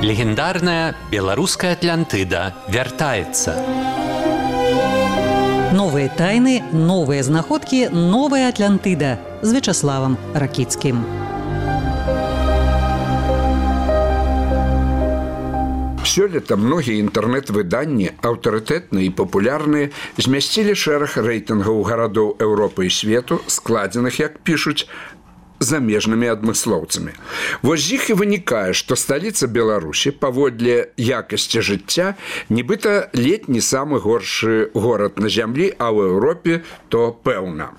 Легендарная белорусская Атлантыда вяртаецца. Новые тайны, новые знаходкі, новая Атлантыда з Вячаславам Ракіцкім. Сёлета многія інтэрнэт-выданні, аўтарытэтныя і папулярныя, змясцілі шэраг рэйтынгаў гарадоў Еўропы і свету, складзеных, як пішуць, замежнымі адмыслоўцамі. Вось з іх і вынікае, што сталіца Беларусі паводле якасці жыцця нібыта ледзь не самы горшы горад на зямлі, а ў Еўропе то пэўна.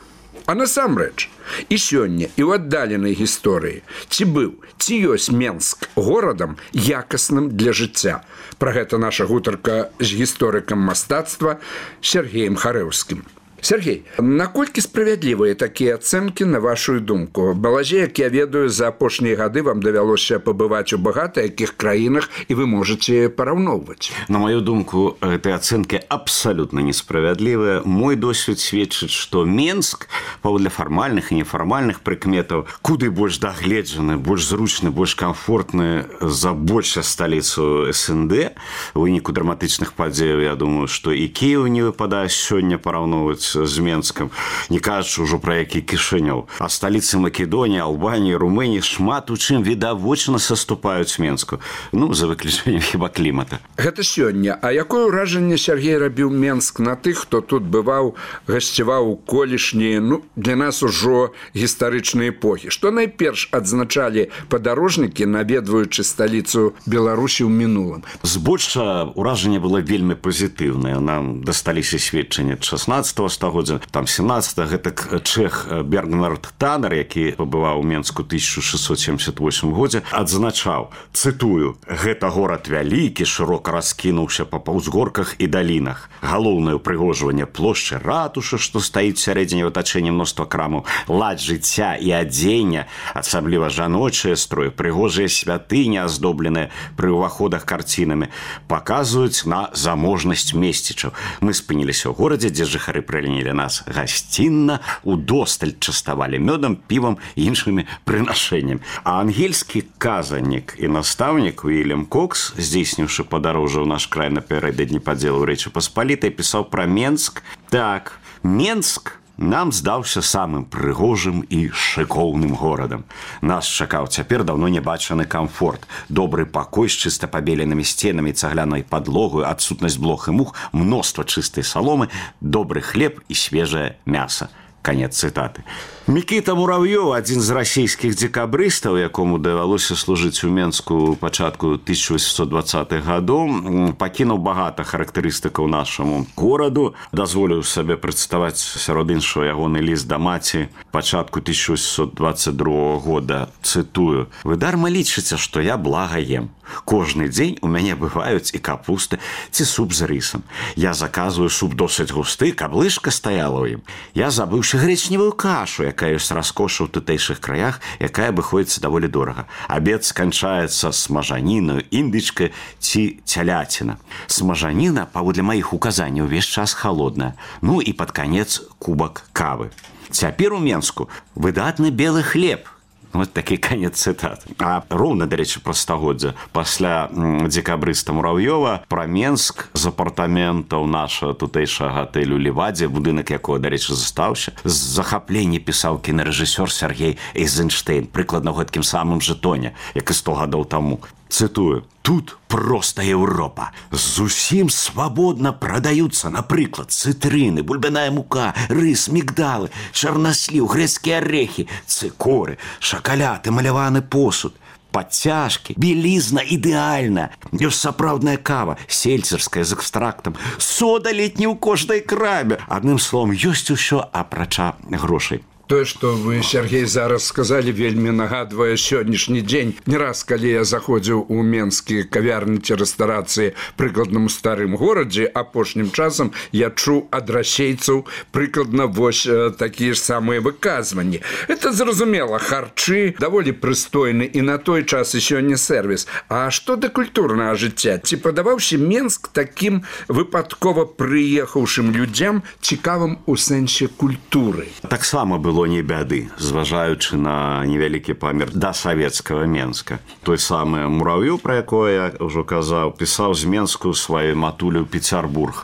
А насамрэч, і сёння, і ў аддаленай гісторыі ці быў, ці ёсць Менск горадам якасным для жыцця. Пра гэта наша гутарка з гісторыкам мастацтва Сергеем Харэўскім. Сергей, наколькі справядлівыя такія ацэнкі на вашу думку? Балазе, як я ведаю, за апошнія гады вам давялося пабываць у багата якіх краінах, і вы можаце параўноўваць. На мою думку, гэтыя ацэнкі абсалютна несправядлівыя. Мой досвед сведчыць, што Менск, паводле фармальных і нефармальных прыкметаў, куды больш дагледжаны, больш зручны, больш камфортны за большую сталіцу СНД. У выніку драматычных падзеяў, я думаю, што і Кіеў не выпадае сёння параўноўваць з Менскам, не кажучы ўжо пра які Кішынёў. А сталіцы Македоніі, Албаніі, Румыніі шмат у чым відавочна саступаюць Менску. Ну, за выключэннем хіба клімата. Гэта сёння. А якое ўражанне Сергей рабіў Менск на тых, хто тут бываў, гасцяваў у колішнія, для нас ужо гістарычныя эпохі? Што найперш адзначалі падарожнікі, наведваючы сталіцу Беларусі ў мінулым? Збольшага ўражанне было вельмі пазітыўнае. Нам дасталіся сведчанні 16-го стагоддзя, там 17-го, гэтак чэх Бернард Таннер, які пабываў у Менску 1678 годзе, адзначаў, цытую: «Гэта горад вялікі, шырока раскінуўся па ўзгорках і далінах. Галоўнае ўпрыгожванне плошчы ратушы, што стаіць сярэдзіне в атачэнні мноства крамаў, лад жыцця і адзення, асабліва жаночыя строі, прыгожыя святыні, аздобленыя пры ўваходах карцінамі, паказваюць на заможнасць месцічаў. Мы спыніліся ў горадзе, дзе жыхары прынялі нас гасцінна, удосталь частавалі мёдам, півам і іншымі прынашэннямі». А ангельскі казаннік і настаўнік Уільям Кокс, здзейсніўшы падарожжа ў наш край напярэдадні падзелу Рэчы Паспалітай, пісаў пра Менск так: «Менск нам здаўся самым прыгожым і шыкоўным горадам. Нас чакаў цяпер даўно небачаны камфорт, добры пакой з чыста пабеленымі сценамі, цаглянай падлогаю, адсутнасць блох і мух, мноства чыстай саломы, добры хлеб і свежае мяса». Канец цытаты. Мікіта Мурав'ёў, адзін з расійскіх дзекабрыстаў, якому давялося служыць у Менску ў пачатку 1820-х гадоў, пакінуў багата характарыстыкаў нашаму гораду. Дазволіў сабе прадставаць сярод іншого ягоны ліст да маці пачатку 1822 года. Цытую: «Вы дарма лічыце, што я блага ем. Кожны дзень у мяне бываюць і капусты ці суп з рысам. Я заказваю суп досыць густы, каб лыжка стаяла ў ім. Я забыўшы грэчневую кашу, якая ёсць раскоша ў тутэйшых краях, якая абыходзіцца даволі дорага. Абед сканчаецца смажанінаю, індычкай ці цяляціна. Смажаніна, паводле маіх указанняў, увесь час халодная. Ну і пад канец кубак кавы. Цяпер у Менску выдатны белы хлеб». Вот такі канец цытат. А роўна, дарэчы, пра стагоддзя, пасля дзекабрыста Мурав'ёва, пра Менск з апартаментаў наша тутэйшага гатэлю «Левадзе», будынак якога, дарэчы, застаўся, з захаплення пісаў кінарэжысёр Сергей Эйзенштейн, прыкладна ў гэткім самым жа тоне, як і 100 гадоў таму. Цытую: «Тут проста Еўропа. Зусім свабодна прадаюцца, напрыклад, цытрыны, бульбяная мука, рыс, мігдалы, чарнасліў, грэцкія арэхі, цыкоры, шакаляд, эмаляваны посуд, падцяжкі, белізна ідэальна. Ёсць сапраўдная кава, сельцерская з экстрактам, сода летні ў кожнай краме. Адным словам, ёсць усё апрача грошай». Тое, што вы, Сергей, зараз сказалі, вельмі нагадвае сённяшні дзень. Не раз, калі я заходзіў у менскія кавярні ці рэстарацыі прыкладна ў старым горадзе, апошнім часам я чуў ад расейцаў прыкладна вось такія ж самыя выказванні. Это, зразумела, харчы даволі прыстойны і на той час і сёння сервіс. А што да культурнага жыцця? Ці падаваўся Менск такім выпадкова прыехаўшым людзям цікавым у сэнсе культуры? Таксама было было не бяды, зважаючы на невялікі памер да савецкага Менска. Той самы Мурав'ёў, пра якое я ўжо казаў, пісаў з Менску сваю матулю Пецярбург.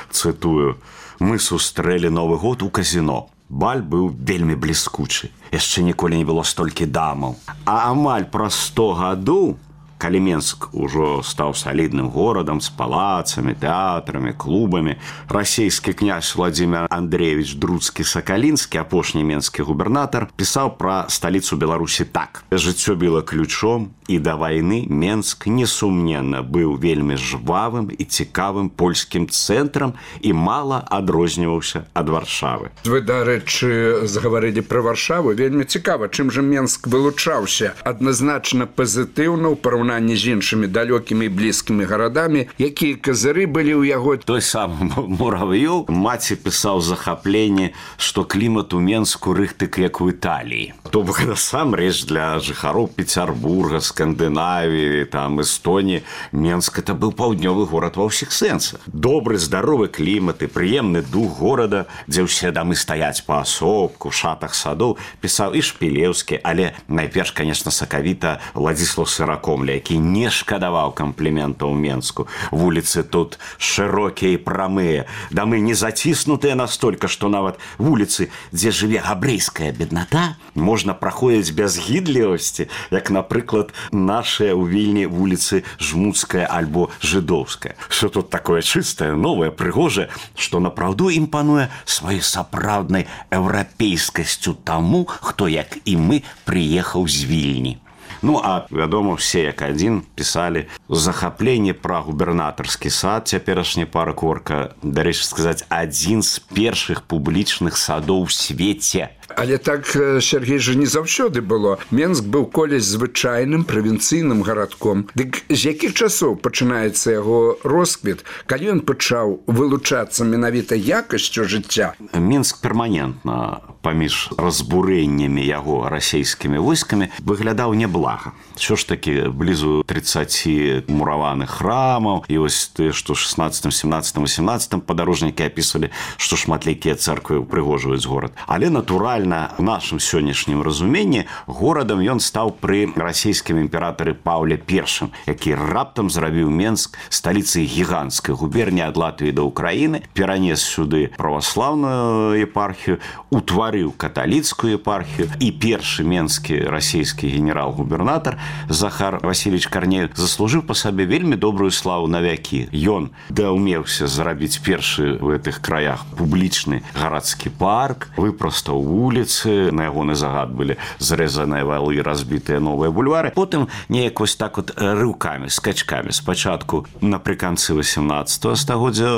Цытую: «Мы сустрэлі Новы год у казіно. Баль быў вельмі бліскучы. Яшчэ ніколі не было столькі дамаў. А амаль праз 100 гадоў, калі Менск ужо стаў салідным горадам з палацамі, тэатрамі, клубамі, расійскі князь Владзімір Андреевич Друцкі-Сакалінскі, апошні менскі губернатар, пісаў пра сталіцу Беларусі так: «Жыццё біла ключом, і да вайны Менск, несумненна, быў вельмі жвавым і цікавым польскім цэнтрам і мала адрозніваўся ад Варшавы». Вы, дарэчы, загаварылі пра Варшаву. Вельмі цікава, чым жа Менск вылучаўся. Адназначна пазітыўна ў параўнанні з іншымі далёкімі і блізкімі гарадамі. Якія казыры былі ў яго? Той самы Мурав'ёў маці пісаў захапленне, што клімат у Менску рыхтык як у Італіі. То бок насамрэч для жыхароў Пецярбурга, Скандынавіі, там Эстоніі, Менск это быў паўднёвы горад ва ўсіх сэнсах. Добры, здаровы клімат і прыемны дух горада, дзе ўсе дамы стаяць паасобку, шатах садоў, пісаў і Шпілеўскі, але найперш, конечно, сакавіта Владзіслаў Сыракомля, які не шкадаваў кампліментаў Менску. Вуліцы тут шырокія і прамыя, дамы не заціснутыя настолькі, што нават вуліцы, дзе жыве габрэйская бедната, можна праходзіць без гідлівасці, як, напрыклад, нашыя ў Вільні вуліцы Жмуцкая альбо Жыдоўская. Що тут такое чыстае, новае, прыгожае, што напраўду імпануе сваёй сапраўднай еўрапейскасцю таму, хто, як і мы, прыехаў з Вільні. Ну, а, вядома, все як адзін пісалі захапленне пра губернатарскі сад, цяперашні парк Орка, дарэчы сказаць, адзін з першых публічных садоў у свеце. Але так, Сергей, жа не заўсёды было. Менск быў колись звычайным правінцыйным гарадком. Дык з якіх часоў пачынаецца яго росквіт, калі ён пачаў вылучацца менавіта якасцю жыцця? Менск перманентна паміж разбурэннямі яго расійскімі войскамі выглядаў няблага. Що ж такі, блізу 30 мураваных храмаў, і вось тое, што 16, 17, 18 падарожнікі апісвалі, што шматлікія цэрквы упрыгожваюць горад. Але натуральна, у нашым сённяшнім разуменні горадам ён стаў пры расійскім імператары Паўле I, які раптам зрабіў Менск сталіцай гіганцкай губерніі ад Латвіі да Ўкраіны, перанес сюды праваслаўную епархію, утварыў каталіцкую епархію, і першы менскі расійскі генерал-губернатар Захар Васильевич Карнеў заслужыў па сабе вельмі добрую славу на вякі. Ён даўмеўся зрабіць першы ў гэтых краях публічны гарадскі парк, выпрастаў вуліцы, на ягоны загад былі зрэзаныя валы, разбітыя новыя бульвары. Потым неяк вось так вот рыўкамі, скачкамі. Спачатку напрыканцы 18 стагоддзя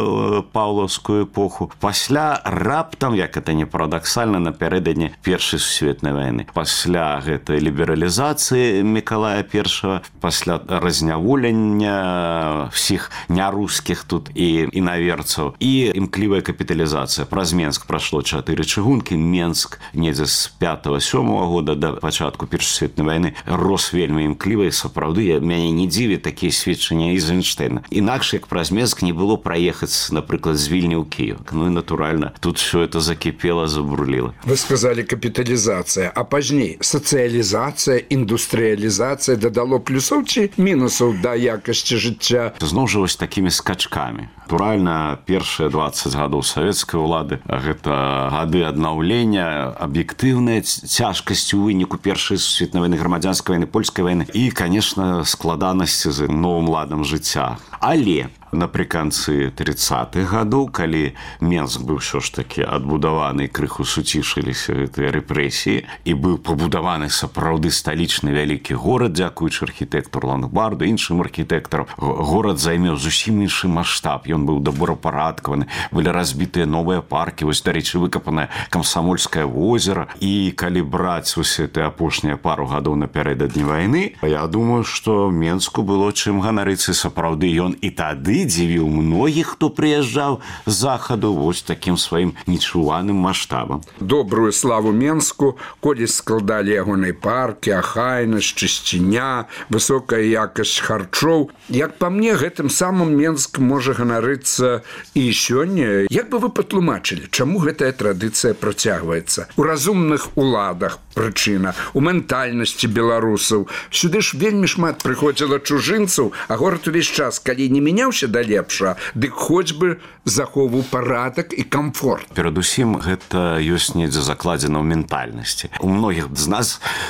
паўлаўскую эпоху, пасля раптам, як это не парадаксальна, напярэдадні Першай сусветнай вайны. Пасля гэтай лібералізацыі Мікалая I, пасля разняволення всіх нярускіх тут і інаверцаў, і імклівая капіталізацыя. Праз Менск прашло 4 чыгункі. Менск недзе з 5-7 года да пачатку Першай сусветнай вайны рос вельмі імкліва, і сапраўды мяне не дзіві такія сведчанні Эйзенштэйна. Інакш, як праз Менск не было праехаць, напрыклад, з Вільні ў Кіеў. Ну і натуральна, тут все это закіпела, забурліла. Вы сказали капіталізацыя, а пазней сацыялізацыя, індустрыялізацыя дадало плюсоў ці мінусаў да якасці жыцця? Зноў жа вось такімі скачкамі. Натуральна, першыя 20 гадоў савецкай улады гэта гады аднаўлення, аб'ектыўная цяжкасць у выніку Першай сусветнай вайны, грамадзянскай вайны, польскай вайны і, конечно, складанасці з новым ладам жыцця. Але напрыканцы 30-х гадоў, калі Менск быў ўсё ж такі адбудаваны, крыху суцішыліся гэтыя рэпрэсіі, і быў пабудаваны сапраўды сталічны вялікі горад, дзякуючы архітэктару Лангбарду, іншым архітэктарам, горад займеў зусім іншы маштаб, ён быў добрапарадкаваны, былі разбітыя новыя паркі, вось, дарэчы, выкапанае Камсамольскае возера, і калі браць вось гэтыя апошнія пару гадоў напярэдадні вайны, я думаю, што Менску было чым ганарыцца, сапраўды ён і тады здзівіў многіх, хто прыязджаў з захаду вось такім сваім нечуваным маштабам. Добрую славу Менску колись складалі ягонай паркі, ахайнасць, чысціня, высокая якасць харчоў. Як па мне, гэтым самым Менск можа ганарыцца і сёння. Як бы вы патлумачылі, чаму гэтая традыцыя працягваецца? У разумных уладах прычына, у ментальнасці беларусаў. Сюды ж вельмі шмат прыходзіла чужынцаў, а горад увесь час, калі не мяняўся да лепша, дык хоць бы захоўваў парадак і камфорт. Перадусім, гэта ёсць недзе закладзена ў ментальнасці. У многіх з нас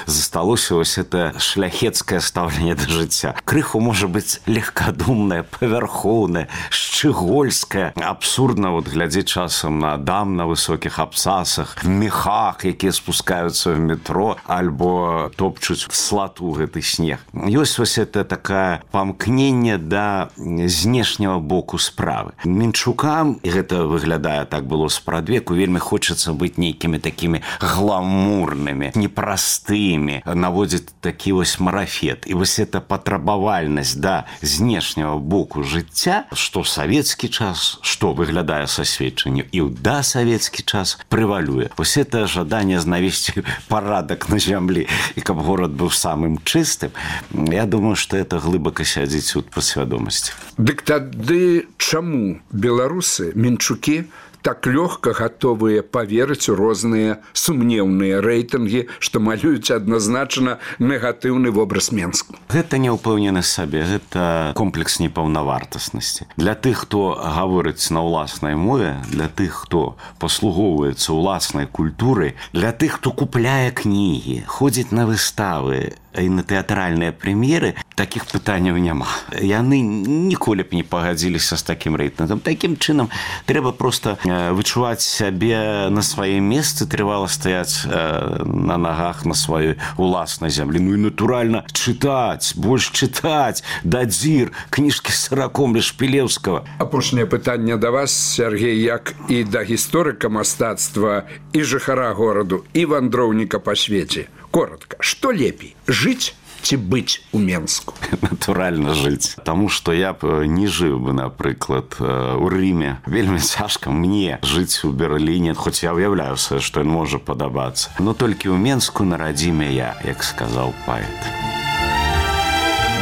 засталося вось это шляхецкае стаўленне да жыцця. Крыху можа быць легкадумнае, павярхоўнае, шчыгольскае. Абсурдна вот глядзець часам на дам на высокіх абцасах, мехах, якія спускаюцца в метро, альбо топчуць слату гэты снег. Ёсць вось это такая памкненне да знешняга боку справы. Менчукам, і гэта выглядае так было спрадвеку, вельмі хочацца быць нейкімі такімі гламурнымі, непростымі, наводзіць такі вось марафет. І вось эта патрабавальнасць да знешняга боку жыцця, што савецкі час, што выглядае са сведчанню, і ў дасавецкі час прывалюе. Вось это жаданне знавесці парадак на зямлі, і каб горад быў самым чыстым, я думаю, што это глыбака сядзіць у падсвядомасці. Дык тады чаму беларусы, менчукі, так лёгка гатовыя паверыць у розныя сумнеўныя рэйтынгі, што малююць адназначна негатыўны вобраз Менску? Гэта няўпэўненасць сабе, гэта комплекс непаўнавартаснасці. Для тых, хто гаворыць на ўласнай мове, для тых, хто паслугоўваецца ўласнай культурай, для тых, хто купляе кнігі, ходзіць на выставы і на тэатральныя прэм'еры, такіх пытанняў няма. Яны ніколі б не пагадзіліся з такім рэйтынгам. Такім чынам трэба проста вычуваць сябе на сваім месцы, трывала стаяць на нагах на сваёй уласнай зямлі. Ну і натуральна чытаць, больш чытаць, дадзір, кніжкі з Саракомля, Шпілеўскага. Апошняе пытанне да вас, Сергей, як і да гісторыка мастацтва, і жыхара гораду, і вандроўніка па свеце. Коротко, што лепей, жыць ці быць у Менску? Натуральна жыць. Таму што я б не жыў бы, напрыклад, у Рыме. Вельмі цяжка мне жыць у Берліне, хоць я ўяўляю сабе, што ён можа падабацца. Но толькі ў Менску на радзіме я, як сказаў паэт.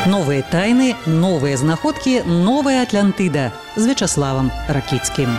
Новыя тайны, новыя знаходкі, новая Атлантыда з Вячаславам Ракіцкім.